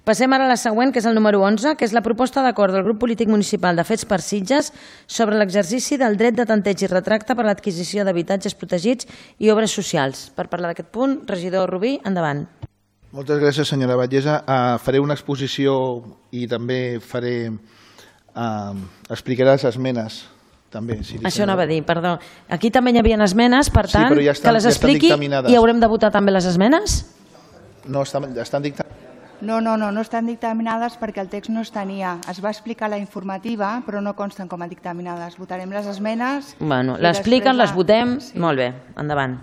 Passem ara a la següent, que és el número 11, que és la proposta d'acord del grup polític municipal de Fets per Sitges sobre l'exercici del dret de tanteig i retracte per l'adquisició d'habitatges protegits i obres socials. Per parlar d'aquest punt, regidor Rubí, endavant. Moltes gràcies, senyora Batllessa. Faré una exposició i també explicaré les esmenes. Això anava a dir, perdó. Aquí també hi havia esmenes, per tant, que les expliqui i haurem de votar també les esmenes? No, estan dictaminades. No estan dictaminades perquè el text no es tenia. Es va explicar la informativa, però no consten com a dictaminades. Votarem les esmenes. Bueno, l'expliquen, les votem. Molt bé, endavant.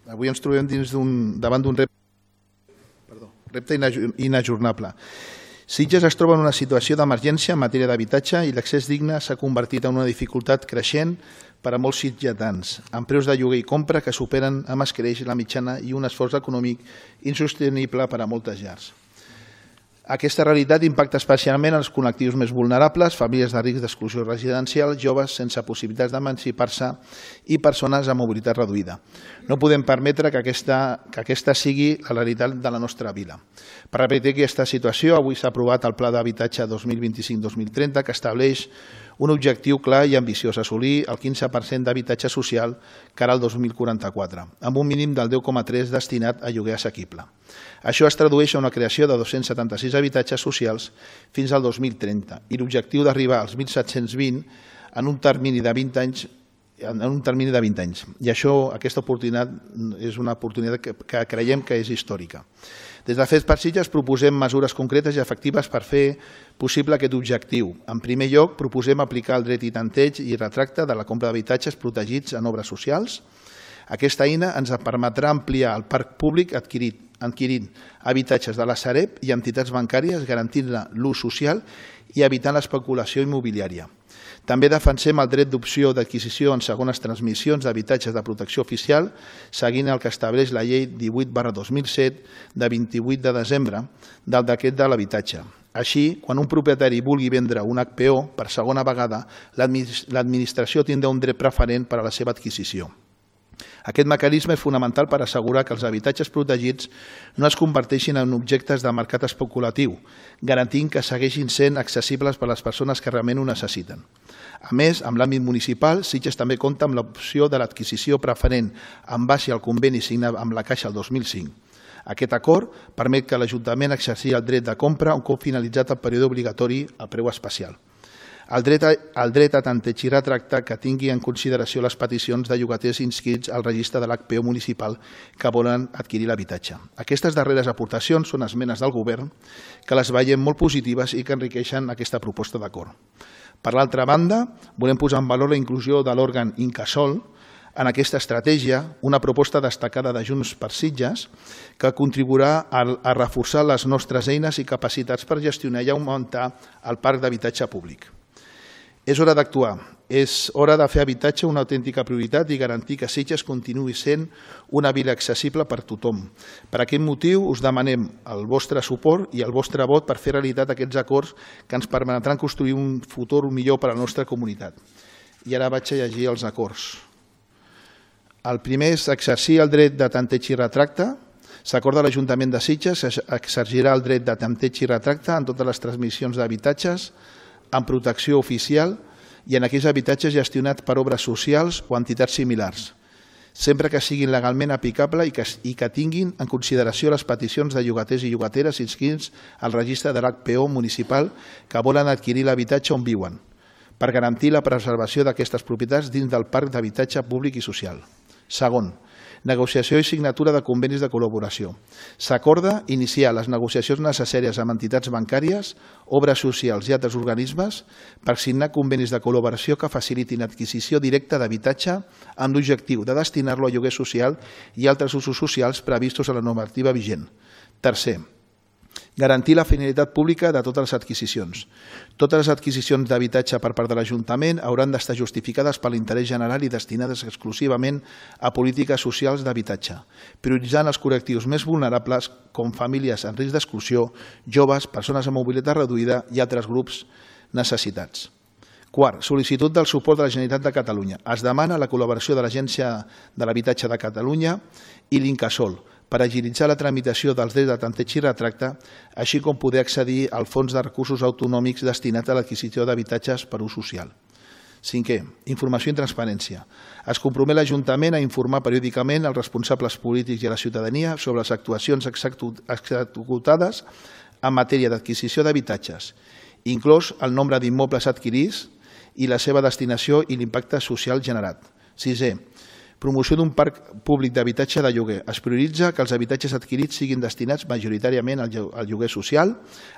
Avui ens trobem davant d'un repte inajornable. Sitges es troba en una situació d'emergència en matèria d'habitatge i l'accés digne s'ha convertit en una dificultat creixent per a molts sitgetans, amb preus de lloguer i compra que superen amb escreix la mitjana i un esforç econòmic insostenible per a moltes llars. Aquesta realitat impacta especialment els col·lectius més vulnerables, famílies de risc d'exclusió residencial, joves sense possibilitats d'emancipar-se i persones amb mobilitat reduïda. No podem permetre que aquesta sigui la realitat de la nostra vila. Per repetir aquesta situació, avui s'ha aprovat el Pla d'Habitatge 2025-2030 que estableix un objectiu clar i ambiciós, assolir el 15% d'habitatge social cara al 2044, amb un mínim del 10,3% destinat a lloguer assequible. Això es tradueix a una creació de 276 habitatges socials fins al 2030 i l'objectiu d'arribar als 1.720 en un termini de 20 anys. I aquesta oportunitat és una oportunitat que creiem que és històrica. Des de Fets per Sitges proposem mesures concretes i efectives per fer possible aquest objectiu. En primer lloc, proposem aplicar el dret i tanteig i retracte de la compra d'habitatges protegits en obres socials. Aquesta eina ens permetrà ampliar el parc públic adquirint habitatges de la Sareb i entitats bancàries, garantint-ne l'ús social i evitant l'especulació immobiliària. També defensem el dret d'opció d'adquisició en segones transmissions d'habitatges de protecció oficial, seguint el que estableix la llei 18/2007 de 28 de desembre del decret de l'habitatge. Així, quan un propietari vulgui vendre un HPO per segona vegada, l'administració tindrà un dret preferent per a la seva adquisició. Aquest mecanisme és fonamental per assegurar que els habitatges protegits no es converteixin en objectes de mercat especulatiu, garantint que segueixin sent accessibles per a les persones que realment ho necessiten. A més, en l'àmbit municipal, Sitges també compta amb l'opció de l'adquisició preferent en base al conveni signat amb la Caixa el 2005. Aquest acord permet que l'Ajuntament exerceixi el dret de compra un cop finalitzat el període obligatori a preu especial. El dret a tanteig i retracte que tingui en consideració les peticions de llogaters inscrits al registre de l'HPO municipal que volen adquirir l'habitatge. Aquestes darreres aportacions són esmenes del govern que les veiem molt positives i que enriqueixen aquesta proposta d'acord. Per l'altra banda, volem posar en valor la inclusió de l'òrgan Incasòl en aquesta estratègia, una proposta destacada de Junts per Sitges que contribuirà a reforçar les nostres eines i capacitats per gestionar i augmentar el parc d'habitatge públic. És hora d'actuar, és hora de fer habitatge una autèntica prioritat i garantir que Sitges continuï sent una vila accessible per tothom. Per aquest motiu us demanem el vostre suport i el vostre vot per fer realitat aquests acords que ens permetran construir un futur millor per a la nostra comunitat. I ara vaig a llegir els acords. El primer és exercir el dret de tanteig i retracte. S'acorda a l'Ajuntament de Sitges exercirà el dret de tanteig i retracte en totes les transmissions d'habitatges en protecció oficial i en aquells habitatges gestionats per obres socials o entitats similars, sempre que siguin legalment aplicables i que tinguin en consideració les peticions de llogaters i llogateres inscrits al registre de l'HPO municipal que volen adquirir l'habitatge on viuen, per garantir la preservació d'aquestes propietats dins del parc d'habitatge públic i social. Segon, negociació i signatura de convenis de col·laboració. S'acorda iniciar les negociacions necessàries amb entitats bancàries, obres socials i altres organismes per signar convenis de col·laboració que facilitin l'adquisició directa d'habitatge amb l'objectiu de destinar-lo a lloguer social i altres usos socials previstos a la normativa vigent. Tercer, garantir la finalitat pública de totes les adquisicions. Totes les adquisicions d'habitatge per part de l'Ajuntament hauran d'estar justificades per l'interès general i destinades exclusivament a polítiques socials d'habitatge, prioritzant els col·lectius més vulnerables com famílies en risc d'exclusió, joves, persones amb mobilitat reduïda i altres grups necessitats. Quart, sol·licitud del suport de la Generalitat de Catalunya. Es demana la col·laboració de l'Agència de l'Habitatge de Catalunya i l'Incasòl per agilitzar la tramitació dels drets de tanteig i retracte, així com poder accedir al fons de recursos autonòmics destinat a l'adquisició d'habitatges per ús social. Cinquè, informació i transparència. Es compromet l'Ajuntament a informar periòdicament als responsables polítics i a la ciutadania sobre les actuacions executades en matèria d'adquisició d'habitatges, inclòs el nombre d'immobles adquirits i la seva destinació i l'impacte social generat. Sisè, promoció d'un parc públic d'habitatge de lloguer. Es prioritza que els habitatges adquirits siguin destinats majoritàriament al lloguer social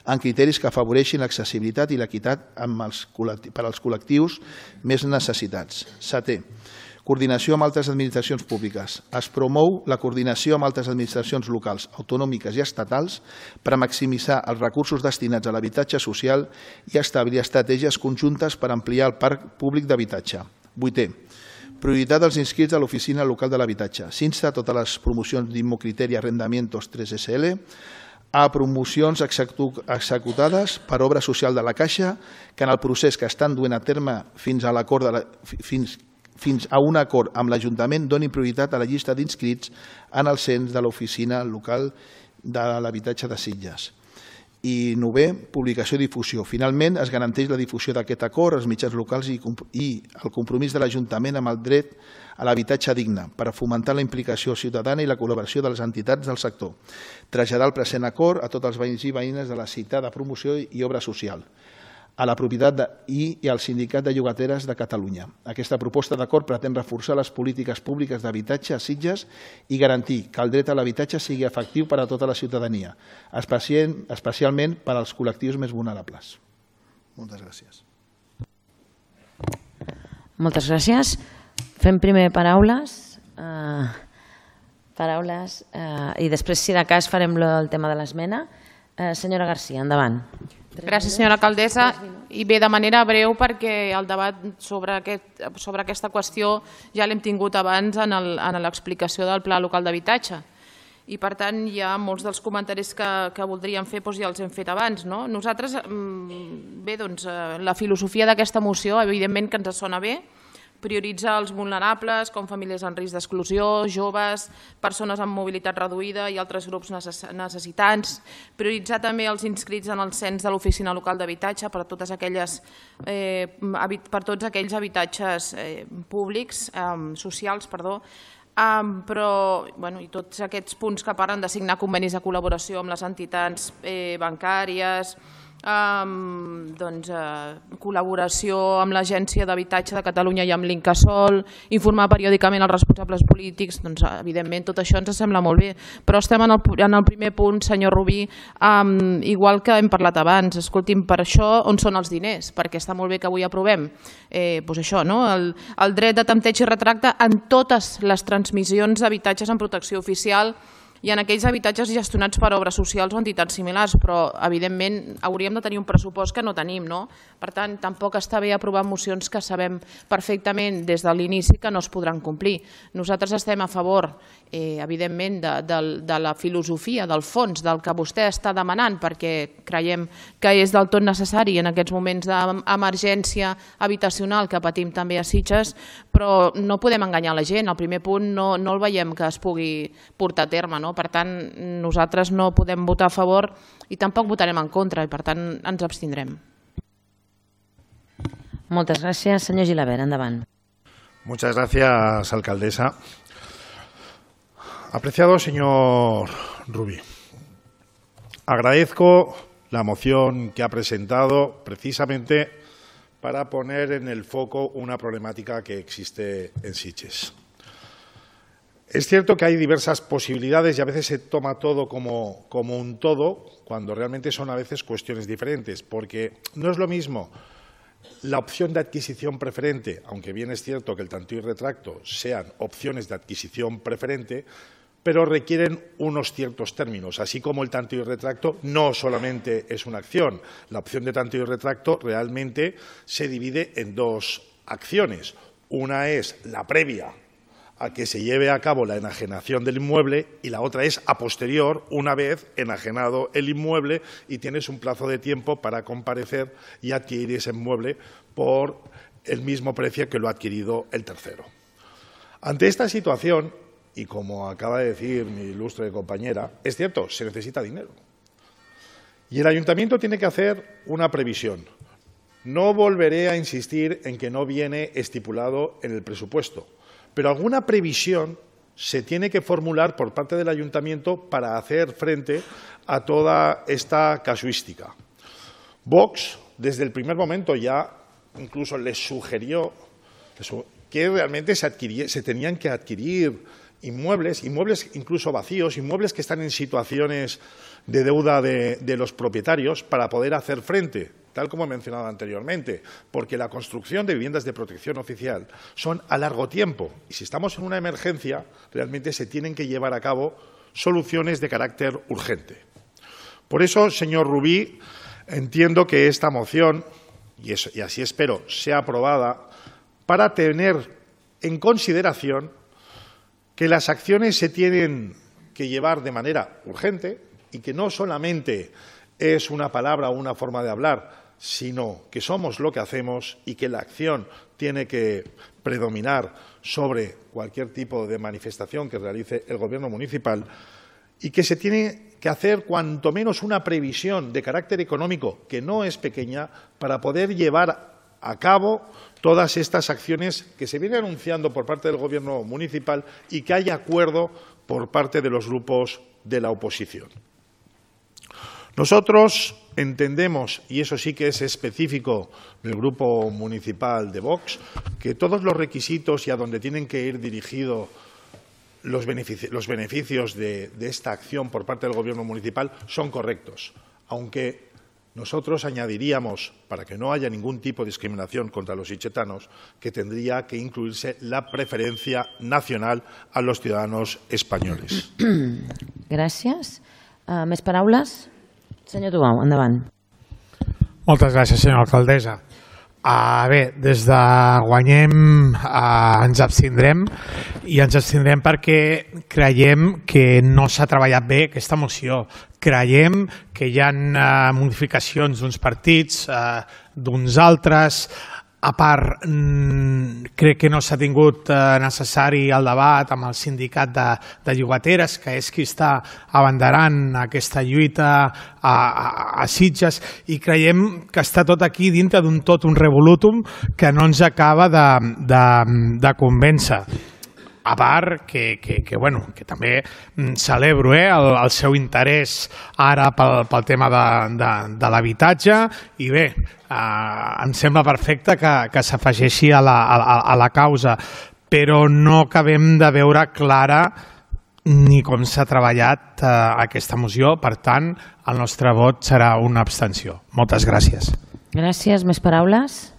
en criteris que afavoreixin l'accessibilitat i l'equitat per als col·lectius més necessitats. Setè, coordinació amb altres administracions públiques. Es promou la coordinació amb altres administracions locals, autonòmiques i estatals per maximitzar els recursos destinats a l'habitatge social i establir estratègies conjuntes per ampliar el parc públic d'habitatge. Vuitè, prioritat dels inscrits a l'Oficina Local de l'Habitatge. S'insta a totes les promocions d'Immocriteri Arrendamientos 3SL a promocions executades per obra social de la Caixa que en el procés que estan duent a terme fins a un acord amb l'Ajuntament donin prioritat a la llista d'inscrits en el cens de l'Oficina Local de l'Habitatge de Sitges. I novè, publicació i difusió. Finalment, es garanteix la difusió d'aquest acord als mitjans locals i el compromís de l'Ajuntament amb el dret a l'habitatge digne per fomentar la implicació ciutadana i la col·laboració de les entitats del sector. Traslladar el present acord a tots els veïns i veïnes de la citada promoció i obra social, a la propietat i al Sindicat de Llogateres de Catalunya. Aquesta proposta d'acord pretén reforçar les polítiques públiques d'habitatge a Sitges i garantir que el dret a l'habitatge sigui efectiu per a tota la ciutadania, especialment per als col·lectius més vulnerables. Moltes gràcies. Moltes gràcies. Fem primer paraules i després, si de cas, farem el tema de l'esmena. Senyora Garcia, endavant. Gràcies, senyora alcaldessa. I bé, de manera breu, perquè el debat sobre aquesta qüestió ja l'hem tingut abans en l'explicació del Pla Local d'Habitatge. I, per tant, ja molts dels comentaris que voldríem fer ja els hem fet abans. Nosaltres, bé, doncs, la filosofia d'aquesta moció, evidentment que ens sona bé, prioritzar els vulnerables, com famílies en risc d'exclusió, joves, persones amb mobilitat reduïda i altres grups necessitants. Prioritzar també els inscrits en el cens de l'Oficina Local d'Habitatge per tots aquells habitatges públics, socials, però i tots aquests punts que parlen de signar convenis de col·laboració amb les entitats bancàries, col·laboració amb l'Agència d'Habitatge de Catalunya i amb l'Incasòl, informar periòdicament els responsables polítics, evidentment tot això ens sembla molt bé, però estem en el primer punt, senyor Rubí, igual que hem parlat abans. Escolti'm, per això on són els diners? Perquè està molt bé que avui aprovem això, el dret de tanteig i retracte en totes les transmissions d'habitatges en protecció oficial i en aquells habitatges gestionats per obres socials o entitats similars, però evidentment hauríem de tenir un pressupost que no tenim. Per tant, tampoc està bé aprovar mocions que sabem perfectament des de l'inici que no es podran complir. Nosaltres estem a favor, evidentment, de la filosofia, del fons, del que vostè està demanant, perquè creiem que és del tot necessari en aquests moments d'emergència habitacional que patim també a Sitges, però no podem enganyar la gent. El primer punt no el veiem que es pugui portar a terme. Per tant, nosaltres no podem votar a favor i tampoc votarem en contra i, per tant, ens abstindrem. Moltes gràcies. Senyor Gilabert, endavant. Muchas gracias, alcaldesa. Apreciado señor Rubí, agradezco la moción que ha presentado precisamente para poner en el foco una problemática que existe en Sitges. Es cierto que hay diversas posibilidades y a veces se toma todo como un todo, cuando realmente son a veces cuestiones diferentes, porque no es lo mismo la opción de adquisición preferente, aunque bien es cierto que el tanteo y retracto sean opciones de adquisición preferente, pero requieren unos ciertos términos, así como el tanteo y retracto no solamente es una acción. La opción de tanteo y retracto realmente se divide en dos acciones. Una es la previa a que se lleve a cabo la enajenación del inmueble y la otra es a posterior, una vez enajenado el inmueble y tienes un plazo de tiempo para comparecer y adquirir ese inmueble por el mismo precio que lo ha adquirido el tercero. Ante esta situación, y como acaba de decir mi ilustre compañera, es cierto, se necesita dinero. Y el ayuntamiento tiene que hacer una previsión. No volveré a insistir en que no viene estipulado en el presupuesto, pero alguna previsión se tiene que formular por parte del ayuntamiento para hacer frente a toda esta casuística. Vox, desde el primer momento ya incluso les sugirió que realmente se tenían que adquirir inmuebles incluso vacíos, inmuebles que están en situaciones de deuda de los propietarios para poder hacer frente, tal como he mencionado anteriormente, porque la construcción de viviendas de protección oficial son a largo tiempo y si estamos en una emergencia realmente se tienen que llevar a cabo soluciones de carácter urgente. Por eso, señor Rubí, entiendo que esta moción, y así espero, sea aprobada para tener en consideración que las acciones se tienen que llevar de manera urgente y que no solamente es una palabra o una forma de hablar, sino que somos lo que hacemos y que la acción tiene que predominar sobre cualquier tipo de manifestación que realice el Gobierno municipal y que se tiene que hacer cuanto menos una previsión de carácter económico, que no es pequeña, para poder llevar a cabo todas estas acciones que se vienen anunciando por parte del Gobierno municipal y que haya acuerdo por parte de los grupos de la oposición. Nosotros entendemos, y eso sí que es específico del Grupo Municipal de Vox, que todos los requisitos y a donde tienen que ir dirigidos los beneficios de esta acción por parte del Gobierno municipal son correctos, aunque nosotros añadiríamos, para que no haya ningún tipo de discriminación contra los sitgetanos, que tendría que incluirse la preferencia nacional a los ciudadanos españoles. Gràcies. Més paraules? Senyor Tubau, endavant. Moltes gràcies, senyora alcaldessa. Bé, des de Guanyem ens abstindrem i ens abstindrem perquè creiem que no s'ha treballat bé aquesta moció. Creiem que hi ha modificacions d'uns partits, d'uns altres. A part, crec que no s'ha tingut necessari el debat amb el sindicat de llogateres, que és qui està abanderant aquesta lluita a Sitges, i creiem que està tot aquí dintre d'un tot un revolutum que no ens acaba de convèncer. A part que també celebro el seu interès ara pel tema de l'habitatge i bé, em sembla perfecte que s'afegeixi a la causa, però no acabem de veure clara ni com s'ha treballat aquesta moció. Per tant, el nostre vot serà una abstenció. Moltes gràcies. Gràcies. Més paraules?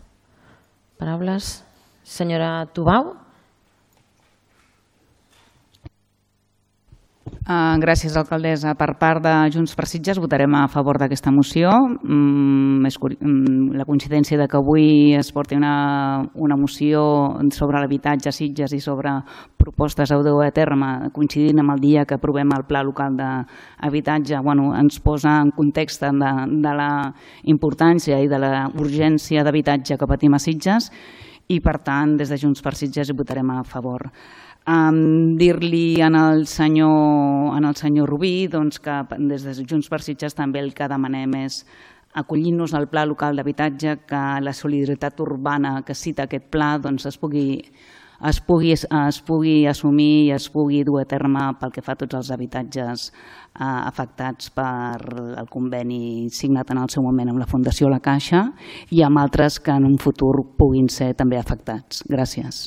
Paraules? Senyora Tubau? Gràcies, alcaldessa. Per part de Junts per Sitges votarem a favor d'aquesta moció. La coincidència de que avui es porti una moció sobre l'habitatge a Sitges i sobre propostes a dur a terme coincidint amb el dia que aprovem el Pla Local d'Habitatge ens posa en context de la importància i de la urgència d'habitatge que patim a Sitges i, per tant, des de Junts per Sitges hi votarem a favor. Dir-li al senyor Rubí que des de Junts per Sitges també el que demanem és acollir-nos al Pla Local d'Habitatge, que la solidaritat urbana que cita aquest pla es pugui assumir i es pugui dur a terme pel que fa a tots els habitatges afectats per el conveni signat en el seu moment amb la Fundació La Caixa i amb altres que en un futur puguin ser també afectats. Gràcies.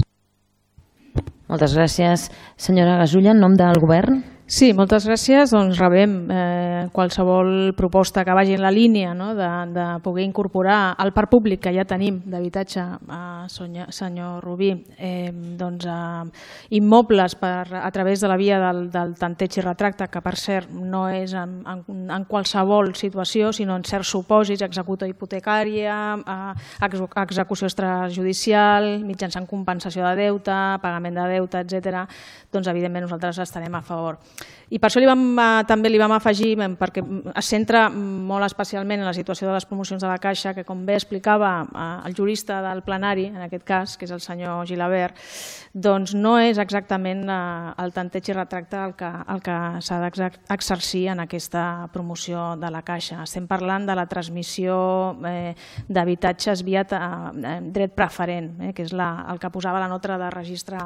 Moltes gràcies. Senyora Gasulla, en nom del Govern. Sí, moltes gràcies. Doncs rebem qualsevol proposta que vagi en la línia de poder incorporar al parc públic que ja tenim d'habitatge, senyor Rubí, immobles a través de la via del tanteig i retracte, que per cert no és en qualsevol situació, sinó en certs supòsits, execució hipotecària, execució extrajudicial, mitjançant compensació de deute, pagament de deute, etc. Doncs evidentment nosaltres estarem a favor. I per això també li vam afegir, perquè es centra molt especialment en la situació de les promocions de la Caixa, que com bé explicava el jurista del plenari, en aquest cas, que és el senyor Gilabert, doncs no és exactament el tanteig i retracte el que s'ha d'exercir en aquesta promoció de la Caixa. Estem parlant de la transmissió d'habitatges via dret preferent, que és el que posava la nota de registre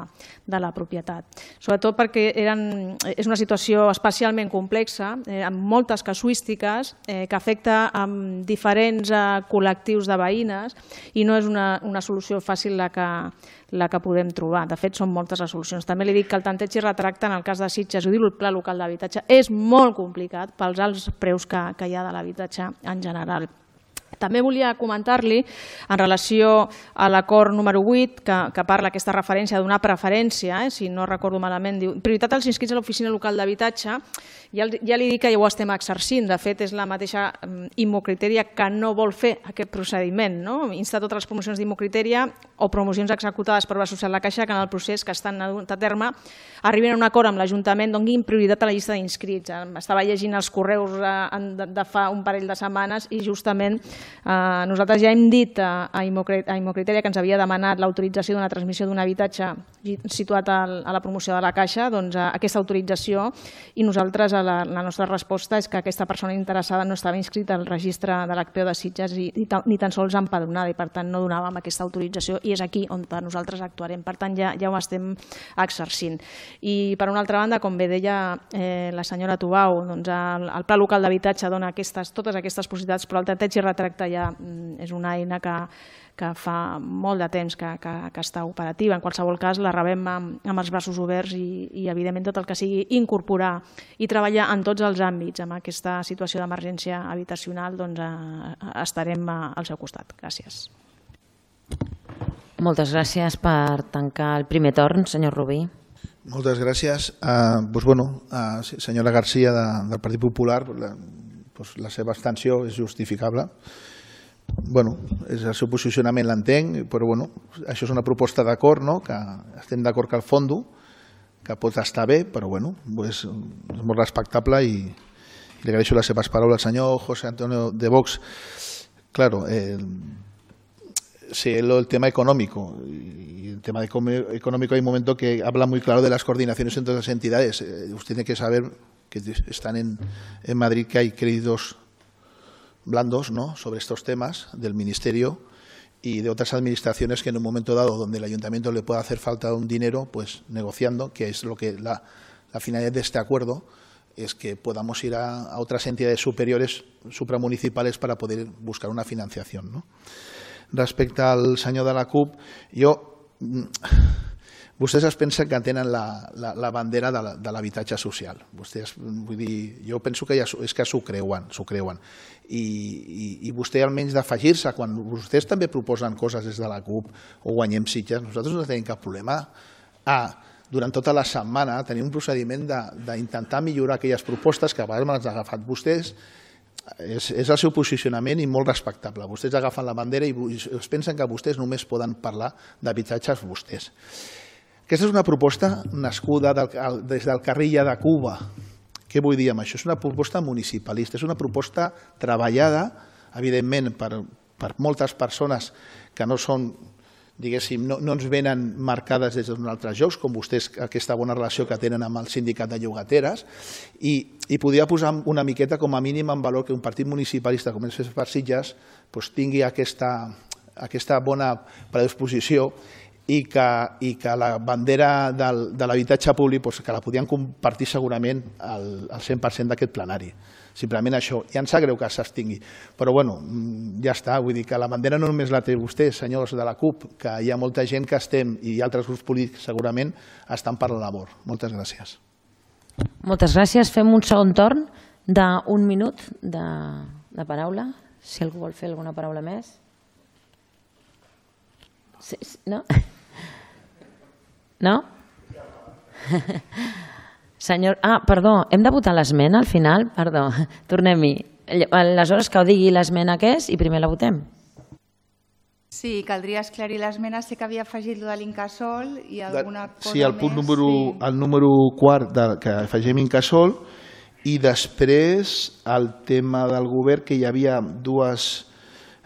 de la propietat. Sobretot perquè és una situació especialment complexa, amb moltes casuístiques, que afecta a diferents col·lectius de veïnes i no és una solució fàcil la que podem trobar. De fet, són moltes les solucions. També li dic que el tanteig i retracte, en el cas de Sitges, ho diu el Pla Local d'Habitatge, és molt complicat pels alts preus que hi ha de l'habitatge en general. També volia comentar-li, en relació a l'acord número 8, que parla aquesta referència de donar preferència, si no recordo malament, diu prioritat als inscrits a l'oficina local d'habitatge. Ja li dic que ja ho estem exercint. De fet, és la mateixa Immocritèria que no vol fer aquest procediment. Insta totes les promocions d'Immocritèria o promocions executades per Obra Social de la Caixa que en el procés que estan a terme arribin a un acord amb l'Ajuntament, donin prioritat a la llista d'inscrits. Estava llegint els correus de fa un parell de setmanes i justament nosaltres ja hem dit a Immocritèria que ens havia demanat l'autorització d'una transmissió d'un habitatge situat a la promoció de la Caixa, doncs aquesta autorització, i nosaltres la nostra resposta és que aquesta persona interessada no estava inscrita al registre de l'ACPO de Sitges ni tan sols empadronada i per tant no donàvem aquesta autorització i és aquí on nosaltres actuarem. Per tant ja ho estem exercint. I per una altra banda, com bé deia la senyora Tubau, el Pla Local d'Habitatge dona totes aquestes possibilitats, però el tanteig i retracte ja és una eina que fa molt de temps que està operativa. En qualsevol cas, la rebem amb els braços oberts i evidentment tot el que sigui incorporar i treballar en tots els àmbits amb aquesta situació d'emergència habitacional, doncs estarem al seu costat. Gràcies. Moltes gràcies per tancar el primer torn, senyor Rubí. Moltes gràcies. Senyora Garcia, del Partit Popular, la seva abstenció és justificable. És el seu posicionament, l'entenc, però això és una proposta d'acord, que estem d'acord que el fondo, que pot estar bé, però és molt respectable i li agraeixo les seves paraules. El senyor José Antonio de Vox, claro, el tema económico, y el tema económico hay un momento que habla muy claro de las coordinaciones entre las entidades. Usted tiene que saber que están en Madrid, que hay créditos blandos sobre estos temas del Ministerio y de otras administraciones que en un momento dado donde el Ayuntamiento le pueda hacer falta un dinero, pues negociando, que es lo que la finalidad de este acuerdo es que podamos ir a otras entidades superiores, supramunicipales, para poder buscar una financiación. Respecte al senyor de la CUP, vostès es pensen que tenen la bandera de l'habitatge social. Jo penso que és que s'ho creuen. I vostè, almenys d'afegir-se, quan vostès també proposen coses des de la CUP o Guanyem Sitges, nosaltres no tenim cap problema durant tota la setmana tenir un procediment d'intentar millorar aquelles propostes que a vegades me les han agafat vostès. És el seu posicionament i molt respectable. Vostès agafen la bandera i es pensen que vostès només poden parlar d'habitatges vostès. Aquesta és una proposta nascuda des del Carrilla de Cuba. Què vull dir amb això? És una proposta municipalista, és una proposta treballada, evidentment, per moltes persones que no són, diguéssim, no ens venen marcades des d'un altre jocs, com vostès, aquesta bona relació que tenen amb el sindicat de llogateres, i podria posar una miqueta com a mínim en valor que un partit municipalista com és per Sitges tingui aquesta bona predisposició i que la bandera de l'habitatge públic que la podien compartir segurament al 100% d'aquest plenari. Simplement això. Ja em sap greu que s'abstingui, però ja està. Vull dir que la bandera no només la té vostè, senyors de la CUP, que hi ha molta gent que estem, i altres grups polítics segurament, estan per la labor. Moltes gràcies. Moltes gràcies. Fem un segon torn d'un minut de paraula. Si algú vol fer alguna paraula més. No? No? Senyor... perdó, hem de votar l'esmena al final? Perdó, tornem-hi. Aleshores, que ho digui l'esmena que és i primer la votem. Sí, caldria esclarir l'esmena. Sé que havia afegit lo de l'Incasòl i alguna cosa més. Sí, el punt número quart que afegim Incasòl i després el tema del govern, que hi havia dues...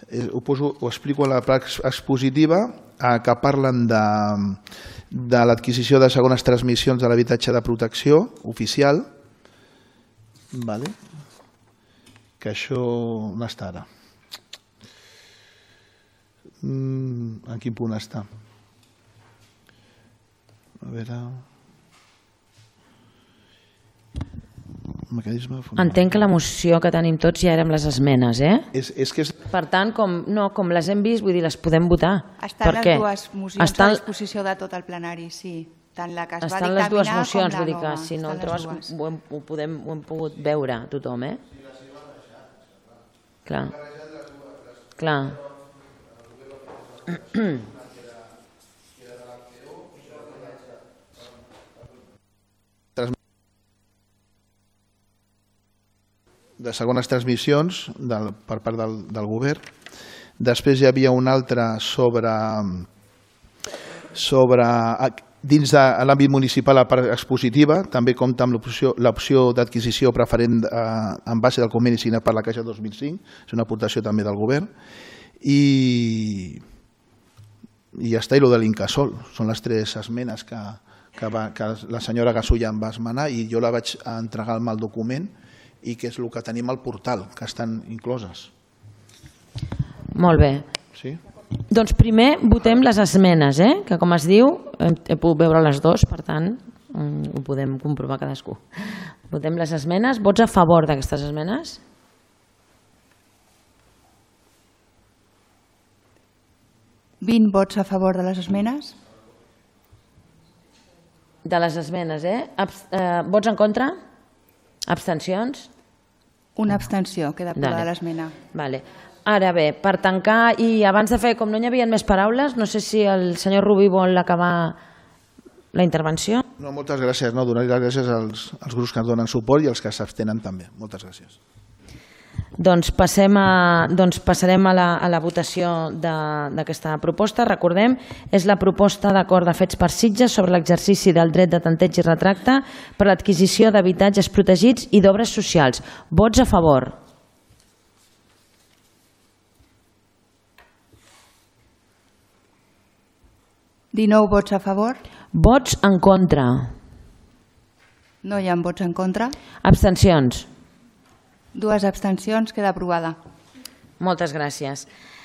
Ho explico en la part expositiva, que parlen de l'adquisició de segones transmissions de l'habitatge de protecció oficial, que això on està ara? En quin punt està? A veure... Entenc que la moció que tenim tots ja érem les esmenes, Per tant, com les hem vist, vull dir, les podem votar. Estan les dues mocions a disposició de tot el plenari, sí. Tant la que es va dictaminar com la nova. Estan les dues mocions, vull dir que si no ho hem pogut veure tothom, Clar. Clar. De segones transmissions per part del govern. Després hi havia una altra sobre dins de l'àmbit municipal, la part expositiva, també compta amb l'opció d'adquisició preferent en base del conveni signat per la Caixa 2005, és una aportació també del govern, i ja està, i el de l'Incasòl. Són les tres esmenes que la senyora Gasulla em va esmenar i jo la vaig entregar al mal document i que és el que tenim al portal, que estan incloses. Molt bé. Sí? Doncs primer votem les esmenes, que com es diu, he pogut veure les dues, per tant, ho podem comprovar cadascú. Votem les esmenes. Vots a favor d'aquestes esmenes? ¿20 vots a favor de les esmenes? De les esmenes, Vots en contra? Abstencions? Una abstenció, queda aprovada l'esmena. Vale. Ara bé, per tancar, i abans de fer, com no hi havia més paraules, no sé si el senyor Rubí vol acabar la intervenció. No, moltes gràcies. Donar les gràcies als grups que ens donen suport i als que s'abstenen també. Moltes gràcies. Doncs passarem a la votació d'aquesta proposta. Recordem, és la proposta d'acord de fets per Sitges sobre l'exercici del dret de tanteig i retracte per l'adquisició d'habitatges protegits i d'obres socials. Vots a favor? ¿19 vots a favor? Vots en contra? No hi ha vots en contra. Abstencions? 2 abstencions, queda aprovada. Moltes gràcies.